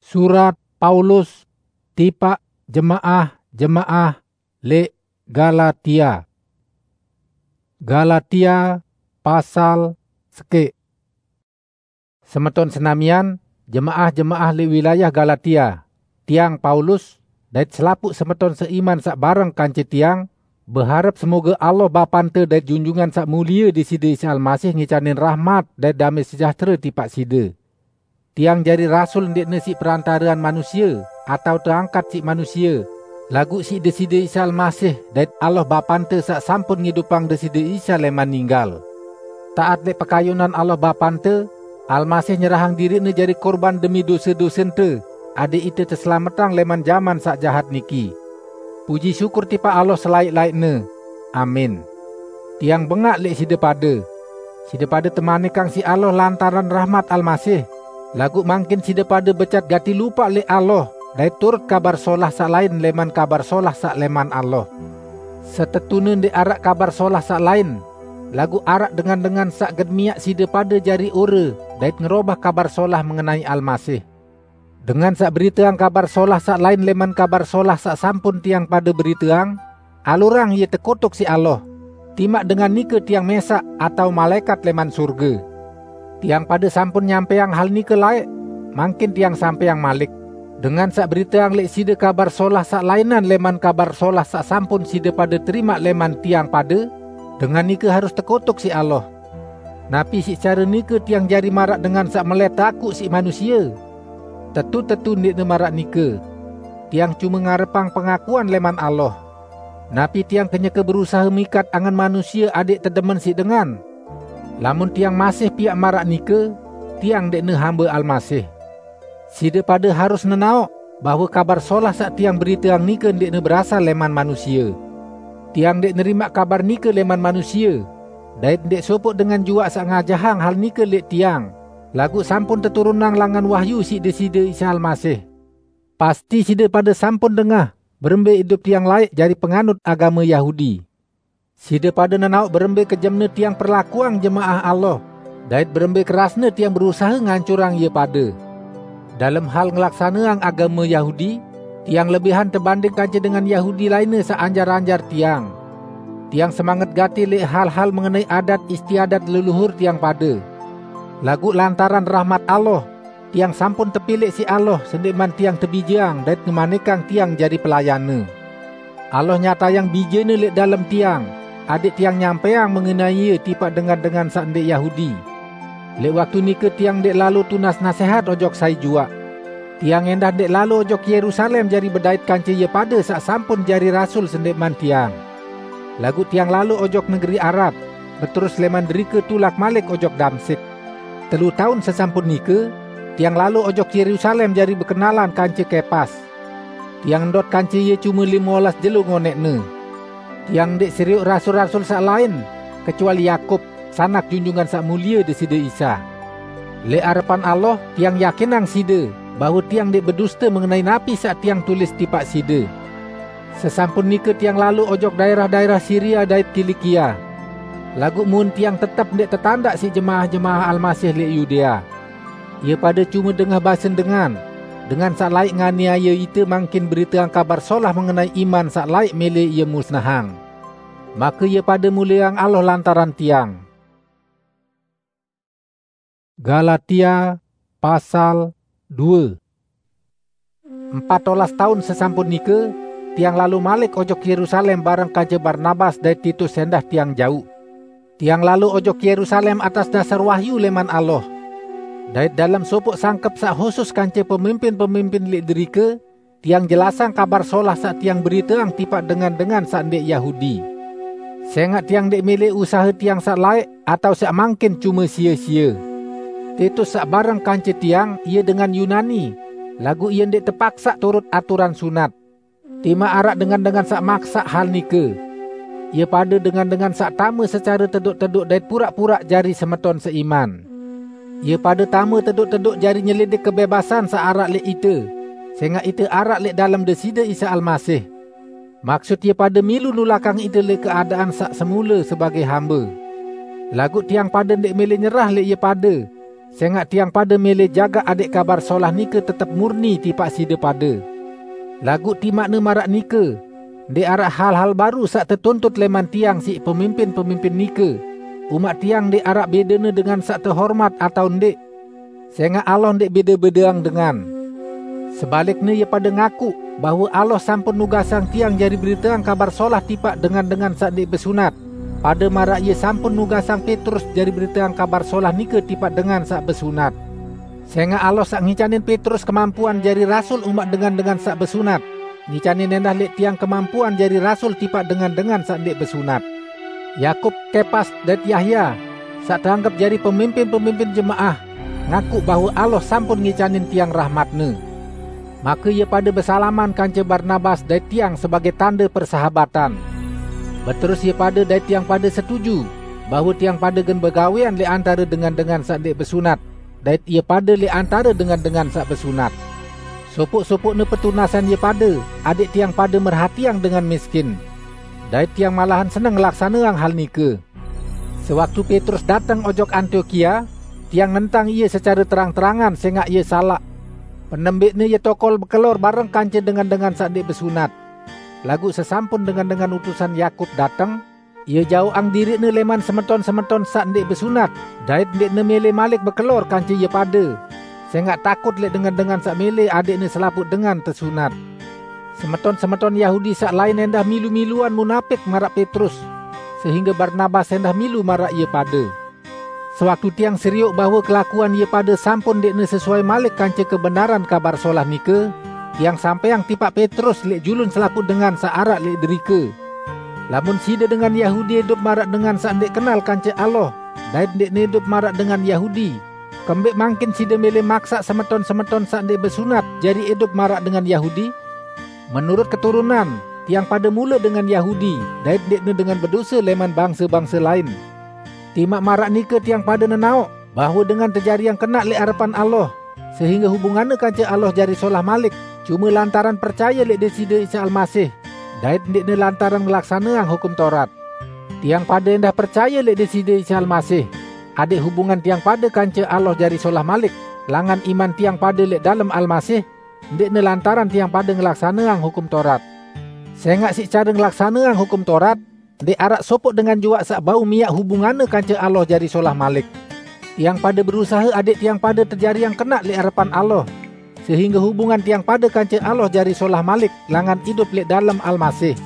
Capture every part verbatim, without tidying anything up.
Surat Paulus tipaq jemaah-jemaah leq Galatia. Galatia pasal sekeq. Semeton senamian, jemaah-jemaah leq wilayah Galatia, tiang Paulus, dait selapuq semeton seiman saq bareng kance tiang, beharep semoge Allah Bapante dait Junjungan Saq Mulie Deside Isa Almasih ngicanin rahmat dait damai sejahtere tipaq side. Tiang jari rasul ndeqne siq perantarean manusie, atao teangkat siq manusie, laguq siq Deside Isa Almasih dait Allah Bapante saq sampun ngidupang Deside Isa leman ninggal. Taat leq pekayunan Allah Bapante, Almasih nyerahang diriqne jari kurban demi dose-dosente, adeq ite teselametang leman jaman saq jahat niki. Puji syukur tipaq Allah selaeq-laeqne. Amin. Tiang bengaq leq side pade. Side pade temanikang siq Allah lantaran rahmat Almasih, laguq mangkin side pade becat gati lupaq leq Allah dait turut Kabar Solah saq lain leman Kabar Solah saq leman Allah. Setetune ndeq araq Kabar Solah saq lain, laguq araq dengan-dengan saq gen miaq side pade jari ore dait ngerobah Kabar Solah mengenai Almasih. Dengan saq beriteang Kabar Solah saq lain leman Kabar Solah saq sampun tiang pade beriteang, alurang ie tekutuk siq Allah. Timaq dengan nike tiang mesaq atao malaekat leman surge. Tiang pade sampun nyampeang hal nike laeq, mangkin tiang sampeang malik. Dengan saq beriteang leq side Kabar Solah saq lainan leman Kabar Solah saq sampun side pade terimaq leman tiang pade, dengan nike harus tekutuk siq Allah. Napi siq care nike tiang jari maraq dengan saq melet takuq siq manusie? Tetu-tetu ndeqne maraq nike. Tiang cume ngarepang pengakuan leman Allah. Napi tiang kenyeke berusahe mikat angen manusie adeq tedemen siq dengan? Lamun tiang masih piaq maraq nike, tiang ndeqne hambe Almasih. Side pade harus nenaoq bahwe Kabar Solah saq tiang beriteang nike ndeqne berasal leman manusie. Tiang ndeq nerimaq kabar nike leman manusie, dait ndeq sopoq dengan juaq saq ngajahang hal nike leq tiang, laguq sampun teturunang langan wahyu siq Deside Isa Almasih. Pasti side pade sampun dengah berembe idup tiang laeq jari penganut agame Yahudi. Side pade nenaoq berembe kejemne tiang perlakuang jemaah Allah, dait berembe kerasne tiang berusahe ngancurang ie pade. Dalem hal ngelaksaneang agame Yahudi, tiang lebihan tebanding kance dengan Yahudi lainne saq anjar-anjar tiang. Tiang semanget gati leq hal-hal mengenai adat istiadat leluhur tiang pade. Laguq lantaran rahmat Allah, tiang sampun tepilih siq Allah sendeqman tiang tebijeang dait ngemanikang tiang jari pelayanne. Allah nyatayang Bijene leq dalem tiang, adeq tiang nyampeang mengenai Ie tipaq dengan-dengan saq ndeq Yahudi. Leq waktu nike tiang ndeq lalo tunas nasehat ojok sai juaq. Tiang endah ndeq lalo ojok Yerusalem jari bedait kance ie pade saq sampun jari rasul sendeqman tiang. Laguq tiang lalo ojok negeri Arab, beterus leman derike tulak malik ojok Damsik. Telu taun sesampun nike, tiang lalo ojok Yerusalem jari bekenalan kance Kepas. Tiang ndot kance ie cume lime olas jelo ngoneqne. Tiang ndeq serioq rasul-rasul saq lain, kecuali Yakub, sanak Junjungan Saq Mulie Deside Isa. Leq arepan Allah, tiang yakinang side, bahwe tiang ndeq beduste mengenai napi saq tiang tulis tipaq side. Sesampun nike tiang lalo ojok daerah-daerah Siria dait Kilikia. Laguq mun tiang tetep ndeq tetandaq siq jemaah-jemaah Almasih leq Yudea. Ie pade cume dengah basen dengan, dengan saq laeq nganiaye ite mangkin beriteang Kabar Solah mengenai iman saq laeq mele ie musnahang. Make ie pade mulieang Allah lantaran tiang. Galatia pasal due. Empat olas taun sesampun nike, tiang lalo malik ojok Yerusalem bareng kance Barnabas dait Titus endah tiang jauq. Tiang lalo ojok Yerusalem atas dasar wahyu leman Allah. Dait dalem sopoq sangkep saq husus kance pemimpin-pemimpin leq derike, tiang jelasang Kabar Solah saq tiang beriteang tipaq dengan-dengan saq ndeq Yahudi. Sengaq tiang ndeq mele usahe tiang saq laeq atao saq mangkin cume sie-sie. Titus saq bareng kance tiang, ie dengan Yunani, laguq ie ndeq tepaksaq turut aturan sunat. Timaq araq dengan-dengan saq maksaq hal nike. Ie pade dengan-dengan saq tame secare tedoq-tedoq dait puraq-puraq jari semeton seiman. Ie pade tame tedoq-tedoq jari nyelidik kebebasan saq araq leq ite, sengaq ite araq leq dalem Deside Isa Almasih. Maksut ie pade milu nulakang ite leq keadaan saq semule sebagei hambe. Laguq tiang pade ndeq mele nyerah leq ie pade, sengaq tiang pade mele jagaq adẽq Kabar Solah nike tetep murni tipaq side pade. Laguq timaqne maraq nike, ndeq araq hal-hal baru saq tetuntut leman tiang siq pemimpin-pemimpin nike, umaq tiang ndeq araq bedene dengan saq tehormat atao ndeq. Sengaq Allah ndeq bede-bedeang dengan. Sebalikne, ie pade ngakuq bahwe Allah sampun nugasang tiang jari beriteang Kabar Solah tipaq dengan-dengan saq ndeq besunat, pade maraq Ie sampun nugasang Petrus jari beriteang Kabar Solah nike tipaq dengan saq besunat. Sengaq Allah saq ngicanin Petrus kemampuan jari rasul umaq dengan-dengan saq besunat, ngicanin endah leq tiang kemampuan jari rasul tipaq dengan-dengan saq ndeq besunat. Yakub, Kepas, dait Yahya, saq teanggep jari pemimpin-pemimpin jemaah, ngakuq bahwe Allah sampun ngicanin tiang rahmat-Ne. Make ie pade besalaman kance Barnabas dait tiang sebagẽ tande persahabatan. Beterus ie pade dait tiang pade setuju bahwe tiang pade gen begawẽan leq antare dengan-dengan saq ndeq besunat, dait ie pade leq antare dengan-dengan saq besunat. Sopoq-sopoqne petunasan ie pade, adẽq tiang pade merhatiang dengan miskin. Dait tiang malahan seneng ngelaksaneang hal nike. Sewaktu Petrus dateng ojok Antiokia, tiang nentang ie secare terang-terangan sengaq ie salaq. Penembẽqne ie tokol bekelor bareng kance dengan-dengan saq ndeq besunat. Laguq sesampun dengan-dengan utusan Yakub dateng, ie jaoqang diriqne leman semeton-semeton saq ndeq besunat, dait ndeqne mele malik bekelor kance ie pade, sengaq takut leq dengan-dengan saq mele adẽqne selapuq dengan tesunat. Semeton-semeton Yahudi saq lain endah milu-miluan munapik maraq Petrus, sehingge Barnabas endah milu maraq ie pade. Sewaktu tiang serioq bahwe kelakuan ie pade sampun ndeqne sesuai malik kance kebenaran Kabar Solah nike, tiang sampẽang tipaq Petrus leq julun selapuq dengan saq araq leq derike, "Lamun side dengan Yahudi idup maraq dengan saq ndeq kenal kance Allah, dait ndeqne idup maraq dengan Yahudi, kembẽq mangkin side mele maksaq semeton-semeton saq ndeq besunat jari idup maraq dengan Yahudi? Menurut keturunan, tiang pade mule dengan Yahudi, dait ndeqne dengan bedose leman bangse-bangse lain. Timaq maraq nike tiang pade nenaoq bahwe dengan tejariang kenaq leq arepan Allah, sehingge hubunganne kance Allah jari solah malik, cume lantaran percaye leq Deside Isa Almasih, dait ndeqne lantaran ngelaksaneang Hukum Taurat. Tiang pade endah percaye leq Deside Isa Almasih, adẽq hubungan tiang pade kance Allah jari solah malik langan iman tiang pade leq dalem Almasih, ndeqne lantaran tiang pade ngelaksaneang Hukum Taurat. Sengaq siq care ngelaksaneang Hukum Taurat, ndeq araq sopoq dengan juaq saq bau miaq hubunganne kance Allah jari solah malik. Tiang pade berusahe adẽq tiang pade tejariang kenaq leq arepan Allah, sehingge hubungan tiang pade kance Allah jari solah malik langan idup leq dalem Almasih.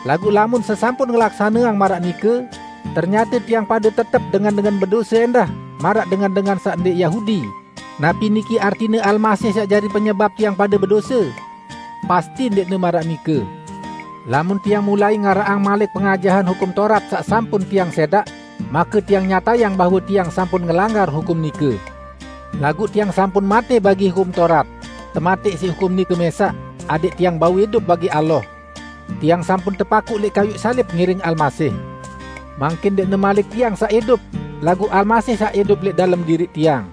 Laguq lamun sesampun ngelaksaneang maraq nike, ternyate tiang pade tetep dengan-dengan bedose endah maraq dengan-dengan saq ndeq Yahudi. Napi niki artine Almasih saq jari penyebap tiang pade bedose? Pasti ndeqne maraq nike. Lamun tiang mulai ngaraqang malik pengajahan Hukum Taurat saq sampun tiang sedaq, make tiang nyatayang bahwe tiang sampun ngelanggar hukum nike. Laguq tiang sampun mate bagi Hukum Taurat, tematẽq siq hukum nike mesaq, adẽq tiang bau idup bagi Allah. Tiang sampun tepakuq leq kayuq salib ngiring Almasih. Mangkin ndeqne malik tiang saq idup, laguq Almasih saq idup leq dalem diriq tiang.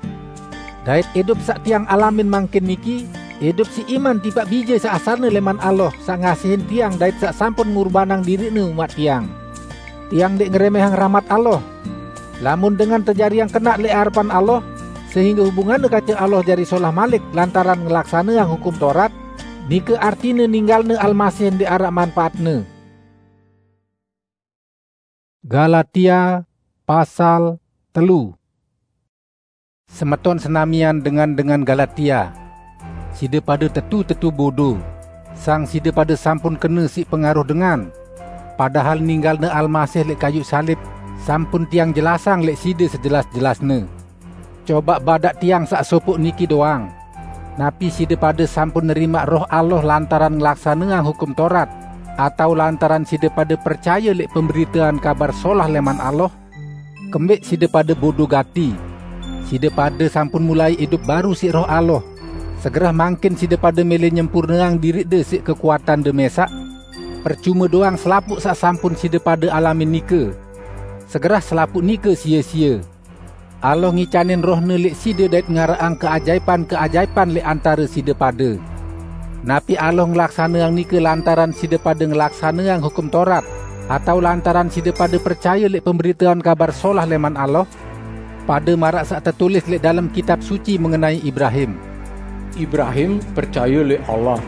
Dait idup saq tiang alamin mangkin niki, idup siq iman tipaq Bije saq asalne leman Allah, saq ngasihin tiang dait saq sampun ngurbanang diriqne umaq tiang. Tiang ndeq ngeremehang rahmat Allah. Lamun dengan tejariang kenaq leq arepan Allah, sehingge hubunganne kance Allah jari solah malik lantaran ngelaksaneang Hukum Taurat, nike artine ninggalne Almasih ndeq araq manpaatne. Galatia pasal telu. Semeton senamian dengan-dengan Galatia, side pade tetu-tetu bodo, sang side pade sampun kene siq pengaruh dengan, padahal ninggalne Almasih leq kayuq salib sampun tiang jelasang leq side sejelas-jelasne. Cobaq badaq tiang saq sopoq niki doang. Napi side pade sampun nerimaq Roh Allah lantaran ngelaksaneang Hukum Taurat, atao lantaran side pade percaye leq pemberitean Kabar Solah leman Allah? Kembẽq side pade bodo gati! Side pade sampun mulai idup baru siq Roh Allah. Segerah mangkin side pade mele nyempurneang diriqde siq kekuatande mesaq? Percume doang selapuq saq sampun side pade alamin nike. Segerah selapuq nike sie-sie. Allah ngicanin Roh-Ne leq side dait ngaraqang keajaipan-keajaipan leq antare side pade. Napi Allah ngelaksaneang nike lantaran side pade ngelaksaneang Hukum Taurat, atao lantaran side pade percaye leq pemberitean Kabar Solah leman Allah? pada maraq saq tetulis leq dalem Kitab Suci mengenai Ibrahim. Ibrahim percaye leq Allah,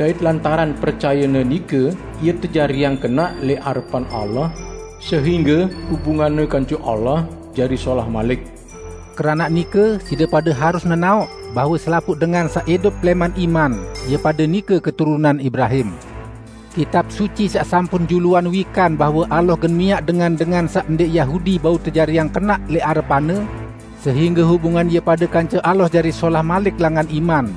dait lantaran percayene nike, ie tejariang kenaq leq arepan Allah, sehingge hubunganne kance Allah jari solah malik. Keranaq nike, side pade harus nenaoq bahwe selapuq dengan saq idup leman iman, ie pade nike keturunan Ibrahim. Kitab Suci saq sampun juluan wikan bahwe Allah gen miaq dengan-dengan saq ndeq Yahudi bau tejariang kenaq leq arepan-Ne, sehingge hubungan ie pade kance Allah jari solah malik langan iman.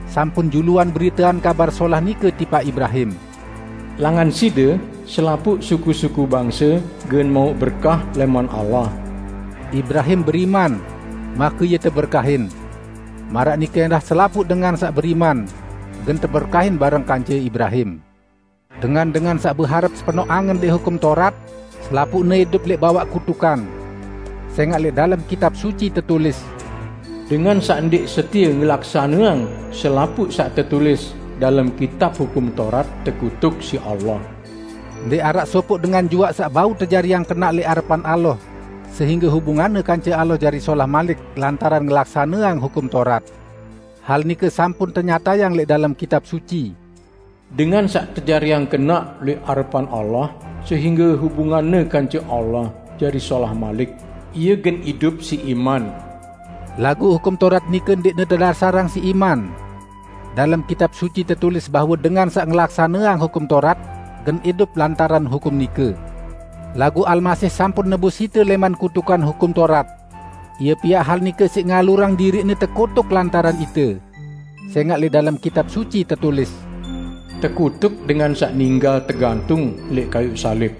Sampun juluan beritean Kabar Solah nike tipaq Ibrahim. Langan side, selapuq suku-suku bangse gen mauq berkah leman Allah. Ibrahim beriman, make ie teberkahin. Maraq nike endah selapuq dengan saq beriman, gen teberkahin bareng kance Ibrahim. Dengan-dengan saq beharep sepenoq angen leq Hukum Taurat, selapuqne idup leq bawaq kutukan. Sengaq leq dalem Kitab Suci tetulis, "Dengan saq ndeq setie ngelaksaneang selapuq saq tetulis dalem Kitab Hukum Taurat tekutuk siq Allah." Ndeq araq sopoq dengan juaq saq bau tejariang kenaq leq arepan Allah, sehingge hubunganne kance Allah jari solah malik lantaran ngelaksaneang Hukum Taurat. Hal nike sampun tenyatayang leq dalem Kitab Suci. Dengan saq tejariang kenaq leq arepan Allah, sehingge hubunganne kance Allah jari solah malik, ie gen idup siq iman. Laguq Hukum Taurat nike ndeqne tedasarang siq iman. Dalem Kitab Suci tetulis bahwe dengan saq ngelaksaneang Hukum Taurat gen idup lantaran hukum nike. Laguq Almasih sampun nebus ite leman kutukan Hukum Taurat. Ie piaq hal nike siq ngalurang diriqne tekutuk lantaran ite. Sengaq leq dalem Kitab Suci tetulis, "Tekutuk dengan saq ninggal tegantung leq kayuq salib."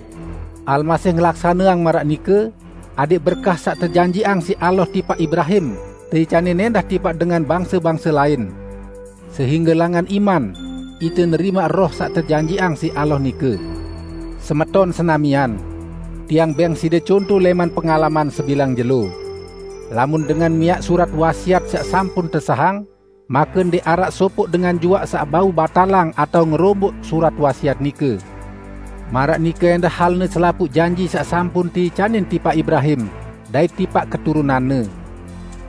Almasih ngelaksaneang maraq nike, adeq berkah saq tejanjiqang siq Allah tipaq Ibrahim, teicanin endah tipaq dengan bangse-bangse lain. Sehingge langan iman, ite nerimaq Roh saq tejanjiqang siq Allah nike. Semeton senamian, tiang beng side conto leman pengalaman sebilang jelo. Lamun dengan miaq surat wasiat saq sampun tesahang, make ndeq araq sopoq dengan juaq saq bau batalang atao ngeromboq surat wasiat nike. Maraq nike endah halne selapuq janji saq sampun teicanin tipaq Ibrahim, dait tipaq keturunanne.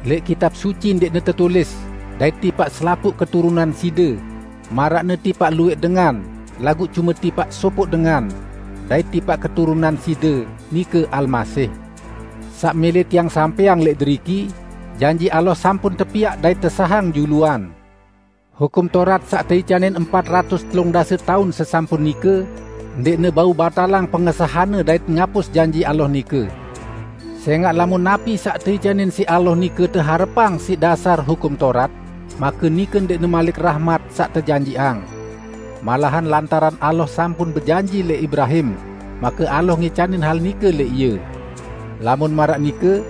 Leq Kitab Suci ndeqne tetulis, "Dait tipaq selapuq keturunan side," maraqne tipaq lueq dengan, laguq cume tipaq sopoq dengan, "Dait tipaq keturunan side," nike Almasih. Saq mele tiang sampeang leq deriki, janji Allah sampun tepiaq dait tesahang juluan. Hukum Taurat saq teicanin empat ratus telung dase taun sesampun nike, ndeqne bau batalang pengesahanne dait ngapus janji Allah nike. Sengaq lamun napi saq teicanin siq Allah nike teharepang siq dasar Hukum Taurat, make nike ndeqne malik rahmat saq tejanjiqang. Malahan lantaran Allah sampun bejanji leq Ibrahim, make Allah ngicanin hal nike leq ie. Lamun maraq nike,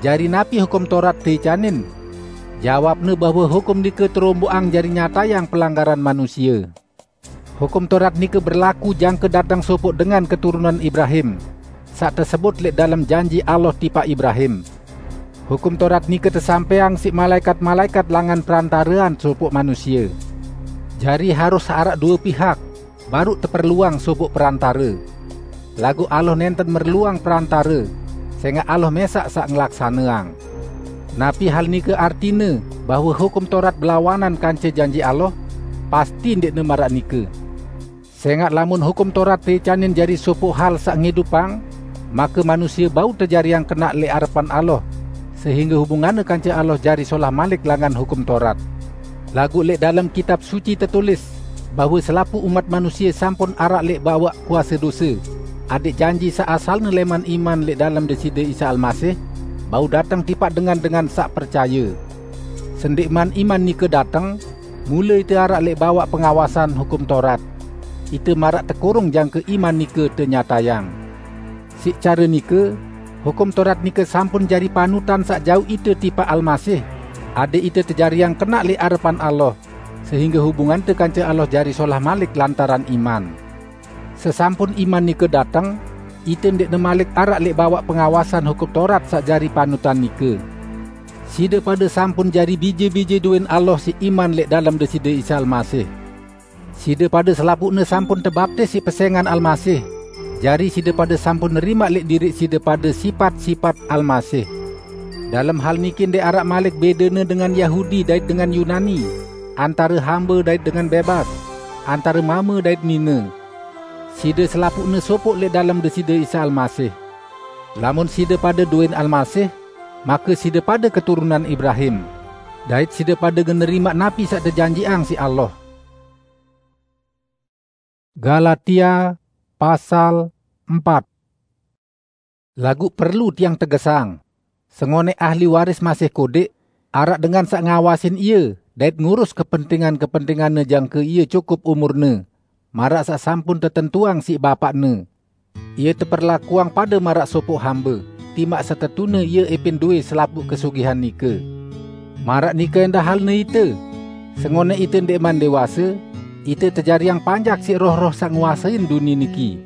jari napi Hukum Taurat teicanin? Jawabne bahwe hukum nike teromboqang jari nyatayang pelanggaran manusie. Hukum Taurat nike berlaku jangke dateng sopoq dengan keturunan Ibrahim, saq tesebut leq dalem janji Allah tipaq Ibrahim. Hukum Taurat nike tesampeang siq malaekat-malaekat langan perantarean sopoq manusie. Jari harus araq due pihak, baruq teperluang sopoq perantare. Laguq Allah nenten merluang perantare, sengaq Allah mesaq saq ngelaksaneang. Napi hal nike artine bahwe Hukum Taurat belawanan kance janji Allah? Pasti ndeqne maraq nike. Sengaq lamun Hukum Taurat teicanin jari sopoq hal saq ngidupang, make manusie bau tejariang kenaq leq arepan Allah, sehingge hubunganne kance Allah jari solah malik langan Hukum Taurat. Laguq leq dalem Kitab Suci tetulis bahwe selapuq umat manusie sampun araq leq bawaq kuase dose, adeq janji saq asalne leman iman leq dalem Deside Isa Almasih, bau dateng tipaq dengan-dengan saq percaye. Sendeqman iman nike dateng, mule ite araq leq bawaq pengawasan Hukum Taurat. Ite maraq tekurung jangke iman nike tenyatayang. Siq care nike, Hukum Taurat nike sampun jari panutan saq jauq ite tipaq Almasih, adeq ite tejariang kenaq leq arepan Allah, sehingge hubungante kance Allah jari solah malik lantaran iman. Sesampun iman nike dateng, ite ndeqne malik araq leq bawaq pengawasan Hukum Taurat saq jari panutan nike. Side pade sampun jari bije-bije doween Allah siq iman leq dalem Deside Isa Almasih. Side pade selapuqne sampun tebaptis siq pesengan Almasih, jari side pade sampun nerimaq leq diriq side pade sipat-sipat Almasih. Dalem hal niki ndeq araq malik bedene dengan Yahudi dait dengan Yunani, antare hambe dait dengan bebas, antare mame dait nine. Side selapuqne sopoq leq dalem Deside Isa Almasih. Lamun side pade dowin Almasih, make side pade keturunan Ibrahim, dait side pade gen nerimaq napi saq tejanjiqang siq Allah. Galatia pasal empat. Laguq perlu tiang tegesang, sengoneq ahli waris masih kodeq, araq dengan saq ngawasin ie dait ngurus kepentingan-kepentinganne jangke ie cukup umurne, maraq saq sampun tetentuang siq bapaqne. Ie teperlakuang pade maraq sopoq hambe, timaq setetune ie epin dowé selapuq kesugihan nike. Maraq nike endah halne ite, sengoneq ite ndeqman dewase, ite tejariang panjak siq roh-roh saq nguasein dunie niki.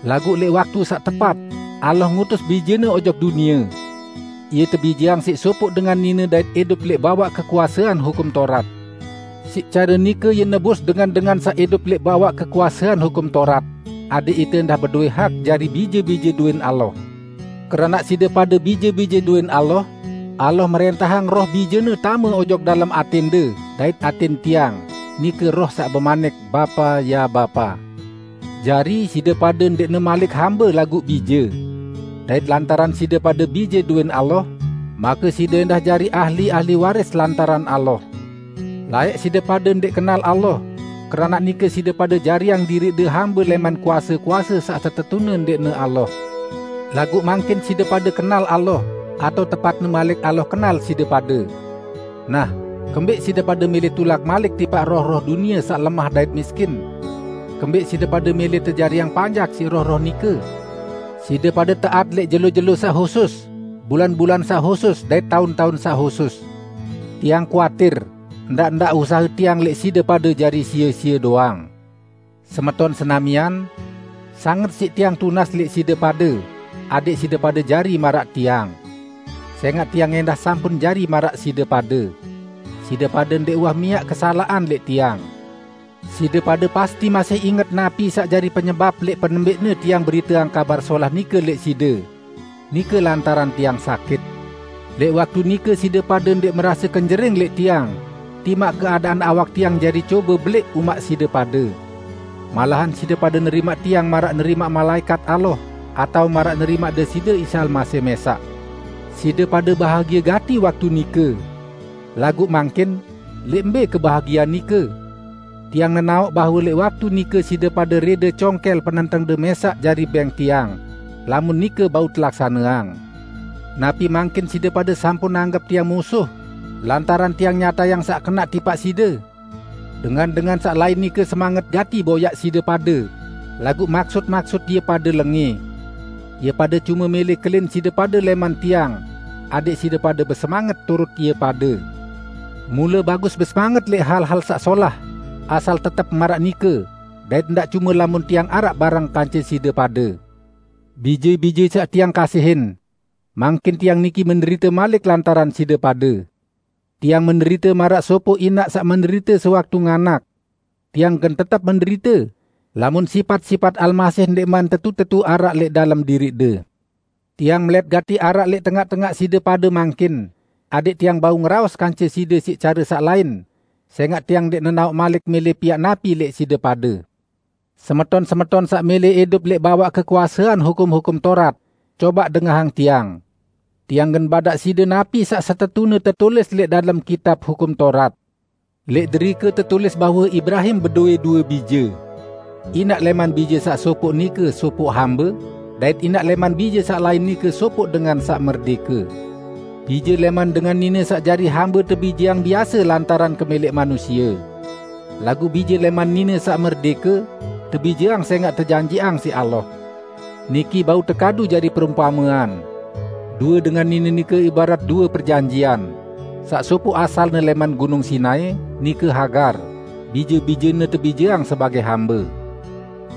Laguq leq waktu saq tepat, Allah ngutus Bijene ojok dunie. Ie tebijeang siq sopoq dengan nine dait idup leq bawaq kekuasean Hukum Taurat. Siq care nike ie nebus dengan-dengan saq idup leq bawaq kekuasean Hukum Taurat, adẽq ite endah bedowé hak jari bije-bije dowén Allah. Keranaq side pade bije-bije dowén Allah, Allah mrẽntahang Roh Bijene tame ojok dalem atẽnde dait atẽn tiang, nike Roh saq bemanik, "Bapa, ya Bapa!" Jari, side pade ndeqne malik hambe laguq bije. Dait lantaran side pade bije dowén Allah, make side endah jari ahli-ahli waris lantaran Allah. Laeq side pade ndeq kenal Allah, keranaq nike side pade jariang diriqde hambe lẽman kuase-kuase saq setetune ndeqne Allah. Laguq mangkin side pade kenal Allah, atao tepatne malik Allah kenal side pade. Nah, kembẽq side pade mele tulak malik tipaq roh-roh dunie saq lemah dait miskin? Kembẽq side pade mele tejariang panjak siq roh-roh nike? Side pade taat leq jelo-jelo saq husus, bulan-bulan saq husus, dait taun-taun saq husus. Tiang kuatir, ndaq-ndaq usahe tiang leq side pade jari sie-sie doang. Semeton senamian, sanget siq tiang tunas leq side pade, adẽq side pade jari maraq tiang. Sẽngaq tiang endah sampun jari maraq side pade. Side pade ndeq uwah miaq kesalaqan leq tiang. Side pade pasti masih inget napi saq jari penyebap leq penembẽqne tiang beriteang Kabar Solah nike leq side. Nike lantaran tiang sakit. Leq waktu nike side pade ndeq merase kenjering leq tiang, timaq keadaan awak tiang jari cobe beleq umaq side pade. Malahan side pade nerimaq tiang maraq nerimaq malaẽkat Allah, atao maraq nerimaq Deside Isa Almasih mẽsaq. Side pade bahagie gati waktu nike. Laguq mangkin, leq mbe kebahagiean nike? Tiang nenaoq bahwe leq waktu nike side pade rede congkel penentengde mẽsaq jari bẽng tiang, lamun nike bau telaksaneang. Napi mangkin side pade sampun anggep tiang musuh, lantaran tiang nyatayang saq kenaq tipaq side? Dengan-dengan saq lain nike semanget gati boyaq side pade, laguq maksut-maksut ie pade lengẽ. Ie pade cume mele kelin side pade lẽman tiang, adẽq side pade besemanget turut ie pade. Mule bagus besemanget leq hal-hal saq solah, asal tetep maraq nike, dait ndaq cume lamun tiang araq bareng kance side pade. Bije-bije saq tiang kasihin, mangkin tiang niki menderite malik lantaran side pade. Tiang menderite maraq sopoq inaq saq menderite sewaktu nganak. Tiang gen tetep menderite, lamun sipat-sipat Almasih ndeqman tetu-tetu araq leq dalem diriqde. Tiang melet gati araq leq tengaq-tengaq side pade mangkin, adẽq tiang bau ngeraos kance side siq care saq lain, sẽngaq tiang ndeq nenaoq malik mele piaq napi leq side pade. Semeton-semeton saq mele idup leq bawaq kekuasean hukum-hukum Taurat, cobaq dengahang tiang. Tiang gen badaq side napi saq setetune tetulis leq dalem kitab Hukum Taurat. Leq derike tetulis bahwe Ibrahim bedowẽ due bije. Inaq lẽman bije saq sopoq nike sopoq hambe, dait inaq lẽman bije saq lain nike sopoq dengan saq merdẽke. Bije lẽman dengan nine saq jari hambe tebijeang biase lantaran kemeleq manusie. Laguq bije lẽman nine saq merdẽke tebijeang sẽngaq tejanjiqang siq Allah. Niki bau tekadu jari perumpamean. Due dengan nine nike ibarat due perjanjian. Saq sopoq asalne lẽman Gunung Sinai, nike Hagar, bije-bijene tebijeang sebagẽ hambe.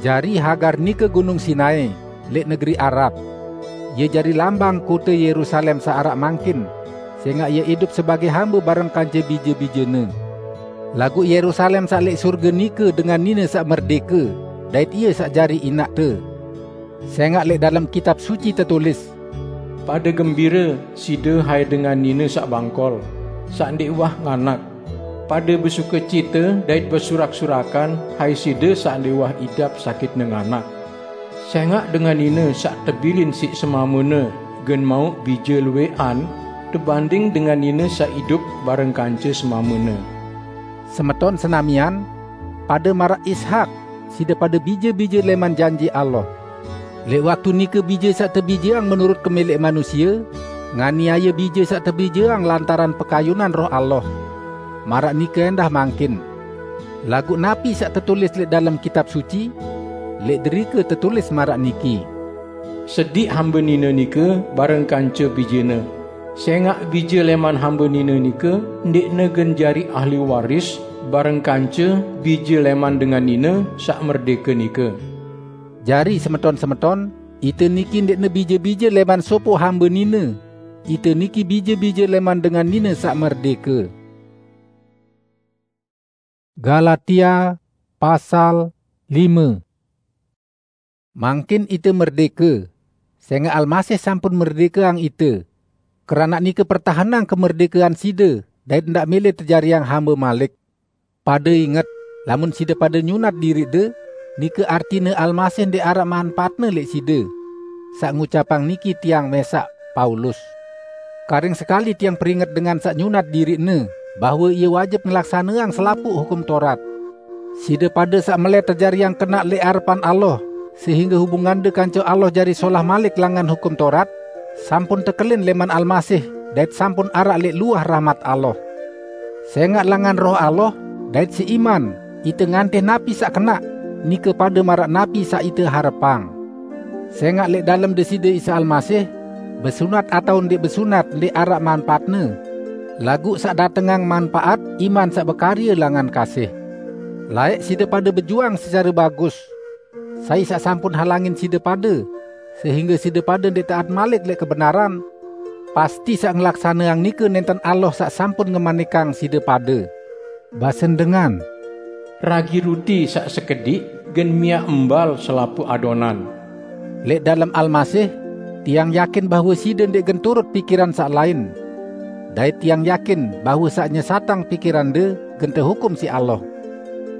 Jari Hagar nike Gunung Sinai, leq negeri Arab. Ie jari lambang kote Yerusalem saq araq mangkin, sẽngaq ie idup sebagẽ hambe bareng kance bije-bijene. Laguq Yerusalem saq leq surge nike dengan nine saq merdẽke, dait ie saq jari inaqte. Sẽngaq leq dalem Kitab Suci tetulis, Pada gembira side hai dengan nine saq bangkol, saq ndeq uwah nganak. Pada besukecite dait besurak-surakan hai side saq ndeq uwah idap sakitne nganak. Sengaq dengan nine saq tebilin siq semamene gen mauq bije lueqan tebanding dengan nine saq idup bareng kance semamene. Semeton senamian, pada maraq Ishak, side pade bije-bije leman janji Allah. Leq waktu nike bije saq tebijeang menurut kemeleq manusie, nganiaye bije saq tebijeang lantaran pekayunan Roh Allah. Maraq nike endah mangkin. Laguq napi saq tetulis leq dalem Kitab Suci? Leq derike tetulis maraq niki, "Sediq hambe nine nike bareng kance bijene. Sengaq bije leman hambe nine nike ndeqne gen jari ahli waris bareng kance bije leman dengan nine saq merdeke nike." Jari, semeton-semeton, ite niki ndeqne bije-bije leman sopoq hambe nine. Ite niki bije-bije leman dengan nine saq merdeke. Galatia pasal lime. Mangkin ite merdeke, sengaq Almasih sampun merdekeang ite. Keranaq nike pertahenang kemerdekean side, dait ndaq mele tejariang hambe malik. Pade inget, lamun side pade nyunat diriqde, nike artine Almasih ndeq araq manpaatne leq side. Saq ngucapang niki tiang mesaq, Paulus. Karing sekali tiang peringet dengan saq nyunat diriqne, bahwe ie wajib ngelaksaneang selapuq Hukum Torat. Side pade saq melai tejariang kenaq leq arepan Allah, sehingge hubungande kance Allah jari solah malik langan Hukum Torat, sampun tekelin leman Almasih dait sampun araq leq luah rahmat Allah. Sengaq langan Roh Allah dait siq iman, ite ngantih napi saq kenaq, nike pade maraq napi saq ite harepang. Sengaq leq dalem Deside Isa Almasih, besunat atao ndeq besunat ndeq araq manpaatne. Laguq saq datengang manpaat, iman saq bekarye langan kasih. Laeq side pade bejuang secare bagus, sai saq sampun halangin side pade, sehingge side pade ndeq taat malik leq kebenaran, pasti saq ngelaksaneang nike nenten Allah saq sampun ngemanikang side pade. Basen dengan, "Ragi ruti saq sekediq gen miaq embal selapuq adonan." Leq dalem Almasih, tiang yakin bahwe side ndeq gen turut pikiran saq lain. Dait tiang yakin bahwe saq nyesatang pikirande gen tehukum siq Allah.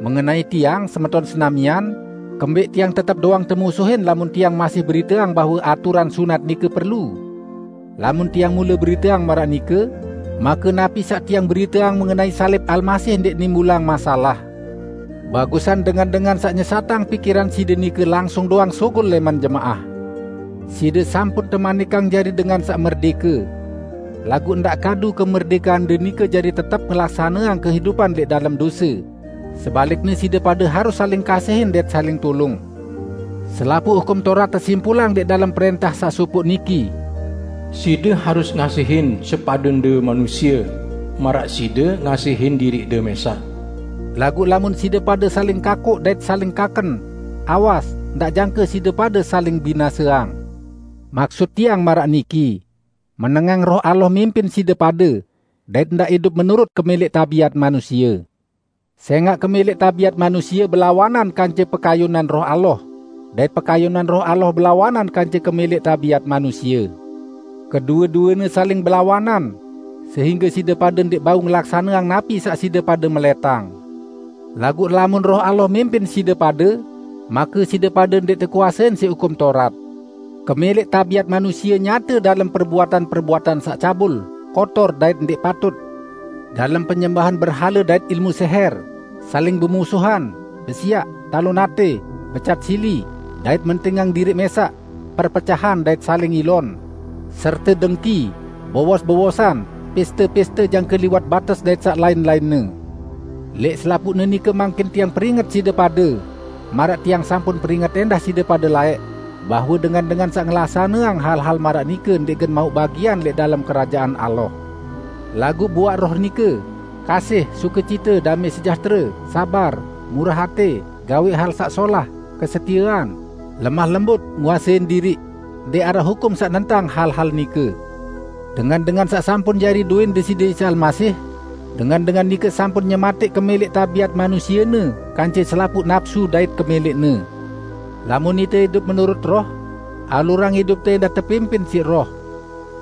Mengenai tiang, semeton senamian, kembeq tiang tetep doang temusuhin lamun tiang masih beriteang bahwe aturan sunat nike perlu? Lamun tiang mule beriteang maraq nike, make napi saq tiang beriteang mengenai salib Almasih ndeq nimbulang masalah? Bagusan dengan-dengan saq nyesatang pikiran side nike langsung doang sugul leman jemaah. Side sampun temanikang jari dengan saq merdeke. Laguq ndaq kadu kemerdekande nike jari tetep ngelaksaneang kehidupan leq dalem dose. Sebalikne, side pade harus saling kasihin dait saling tulung. Selapuq Hukum Torat tesimpulang leq dalem prentah saq sopoq niki, "Side harus ngasihin sepadende manusie, maraq side ngasihin diriqde mesaq." Laguq lamun side pade saling kakoq dait saling kaken, awas, ndaq jangke side pade saling binaseang. Maksut tiang maraq niki, menengang Roh Allah mimpin side pade, dait ndaq idup menurut kemeleq tabiat manusie. Sengaq kemeleq tabiat manusie belawanan kance pekayunan Roh Allah, dait pekayunan Roh Allah belawanan kance kemeleq tabiat manusie. Kedue-duene saling belawanan, sehingge side pade ndeq bau ngelaksaneang napi saq side pade meletang. Laguq lamun Roh Allah mimpin side pade, make side pade ndeq tekuasein siq Hukum Torat. Kemeleq tabiat manusie nyate dalem perbuatan-perbuatan saq cabul, kotor dait ndeq patut, dalem penyembahan berhale dait ilmu seher, saling bemusuhan, besiaq, talon ate, becat sili, dait mentingang diriq mesaq, perpecahan dait saling ilon, serte dengki, bowos-bowosan, peste-peste jangke liwat bates dait saq lain-lainne. Leq selapuqne nike mangkin tiang peringet side pade, maraq tiang sampun peringet endah side pade laeq, bahwe dengan-dengan saq ngelaksaneang hal-hal maraq nike ndeq gen mauq bagian leq dalem Kerajaan Allah. Laguq buaq Roh nike: kasih, sukecite, damai sejahtere, sabar, murah ate, gaweq hal saq solah, kesetiean, lemah lembut, nguasein diriq. Ndeq araq hukum saq nentang hal-hal nike. Dengan-dengan saq sampun jari duen Deside Isa Almasih, dengan-dengan nike sampun nyemateq kemeleq tabiat manusiene kance selapuq napsu dait kemeleqne. Lamun ite idup menurut Roh, alurang idupte endah tepimpin siq Roh.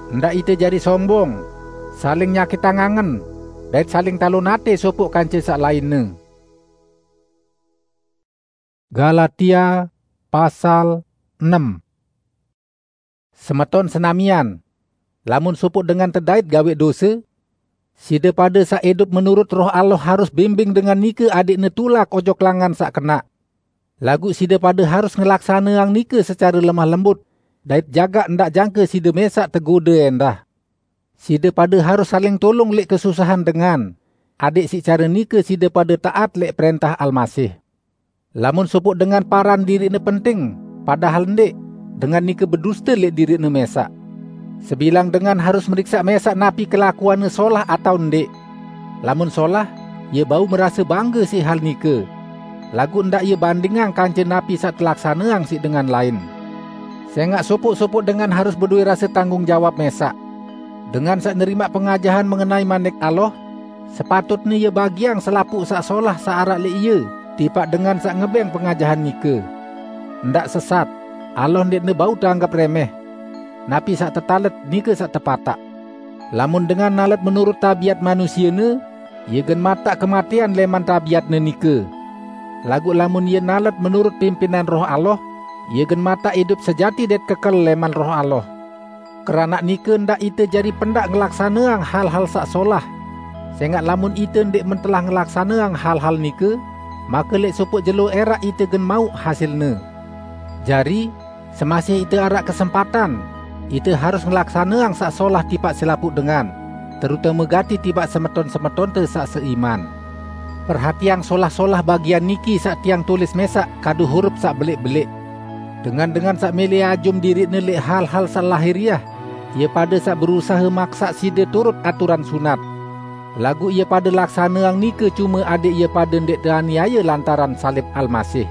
Ndak ite jari sombong, saling nyakitang angen, dait saling talon ate sopoq kance saq lainne. Galatia pasal enem. Semeton senamian, lamun sopoq dengan tedait gaweq dose, side pade saq idup menurut Roh Allah harus bimbing dengan nike adeqne tulak ojok langan saq kenaq. Laguq side pade harus ngelaksaneang nike secare lemah lembut, dait jagaq ndaq jangke side mẽsaq tegode ẽndah. Side pade harus saling tulung lẽq kesusahan dengan, adeq siq care nike side pade taat lẽq prẽntah Almasih. Lamun sopoq dengan paran diriqne penting, padahal ndẽq, dengan nike beduste lẽq diriqne mẽsaq. Sebilang dengan harus meriksaq mẽsaq napi kelakuanne solah atao ndẽq. Lamun solah, ie bau merase bangge siq hal nike, laguq ndaq ie bandingang kance napi saq telaksaneang siq dengan lain. Sẽngaq sopoq-sopoq dengan harus bedowe rase tanggung jawab mẽsaq. Dengan saq nerimaq pengajahan mengenai Manik Allah, sepatutne ie bagiang selapuq saq solah saq araq lẽq ie tipaq dengan saq ngebẽng pengajahan nike. Ndaq sesat, Allah ndẽqne bau teanggep remeh. Napi saq tetalet, nike saq tepataq. Lamun dengan nalet menurut tabiat manusiene, ie gen mataq kematean lẽman tabiatne nike. Laguq lamun ie nalet menurut pimpinan Roh Allah, ie gen mataq idup sejati dait kekel lẽman Roh Allah. Keranaq nike ndaq ite jari pendaq ngelaksaneang hal-hal saq solah. Sẽngaq lamun ite ndẽqman telah ngelaksaneang hal-hal nike, make lẽq sopoq jelo ẽraq ite gen mauq hasilne. Jari, semasih ite araq kesempatan, ite harus ngelaksaneang saq solah tipaq selapuq dengan, terutame gati tipaq semeton-semetonte saq seiman. Perhatiang solah-solah bagian niki saq tiang tulis mẽsaq kadu huruf saq beleq-beleq. Dengan-dengan saq mẽlẽ ajum diriqne lẽq hal-hal saq lahiriah, ie pade saq berusahe maksaq side turut aturan sunat. Laguq ie pade laksaneang nike cume adẽq ie pade ndẽq teaniaye lantaran salib Almasih.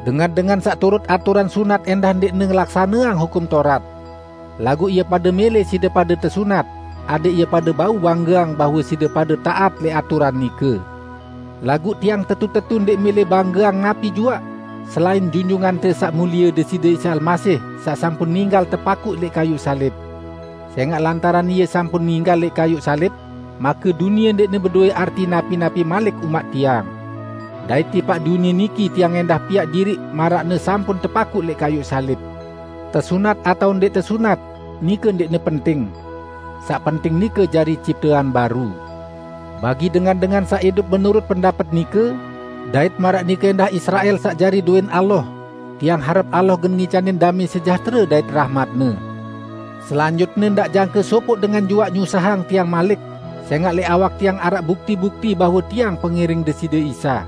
Dengan-dengan saq turut aturan sunat ẽndah ndẽqne ngelaksaneang Hukum Taurat. Laguq ie pade mẽlẽ side pade tesunat, adẽq ie pade bau banggeang bahwe side pade taat lẽq aturan nike. Laguq tiang tetu-tetu ndẽq mẽlẽ banggeang napi juaq, selain Junjungante Saq Mulie Deside Isa Almasih saq sampun ninggal tepakuq lẽq kayuq salib. Sẽngaq lantaran Ie sampun ninggal lẽq kayuq salib, make dunie ndẽqne bedowe arti napi-napi malik umaq tiang. Dait tipaq dunie niki tiang ẽndah piaq diriq maraqne sampun tepakuq lẽq kayuq salib. Tesunat atao ndẽq tesunat, nike ndẽqne penting. Saq penting nike jari ciptean baru. Bagi dengan-dengan saq idup menurut pendapet nike, dait maraq nike ẽndah Israel saq jari dowẽn Allah, tiang harep Allah gen ngicanin damẽ sejahtere dait rahmat-Ne. Selanjutne ndaq jangke sopoq dengan juaq nyusahang tiang malik, sẽngaq lẽq awak tiang araq bukti-bukti bahwe tiang pengiring Deside Isa.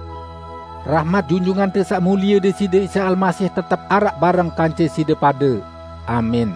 Rahmat Junjungante Saq Mulie Deside Isa Almasih tetep araq bareng kance side pade. Amin.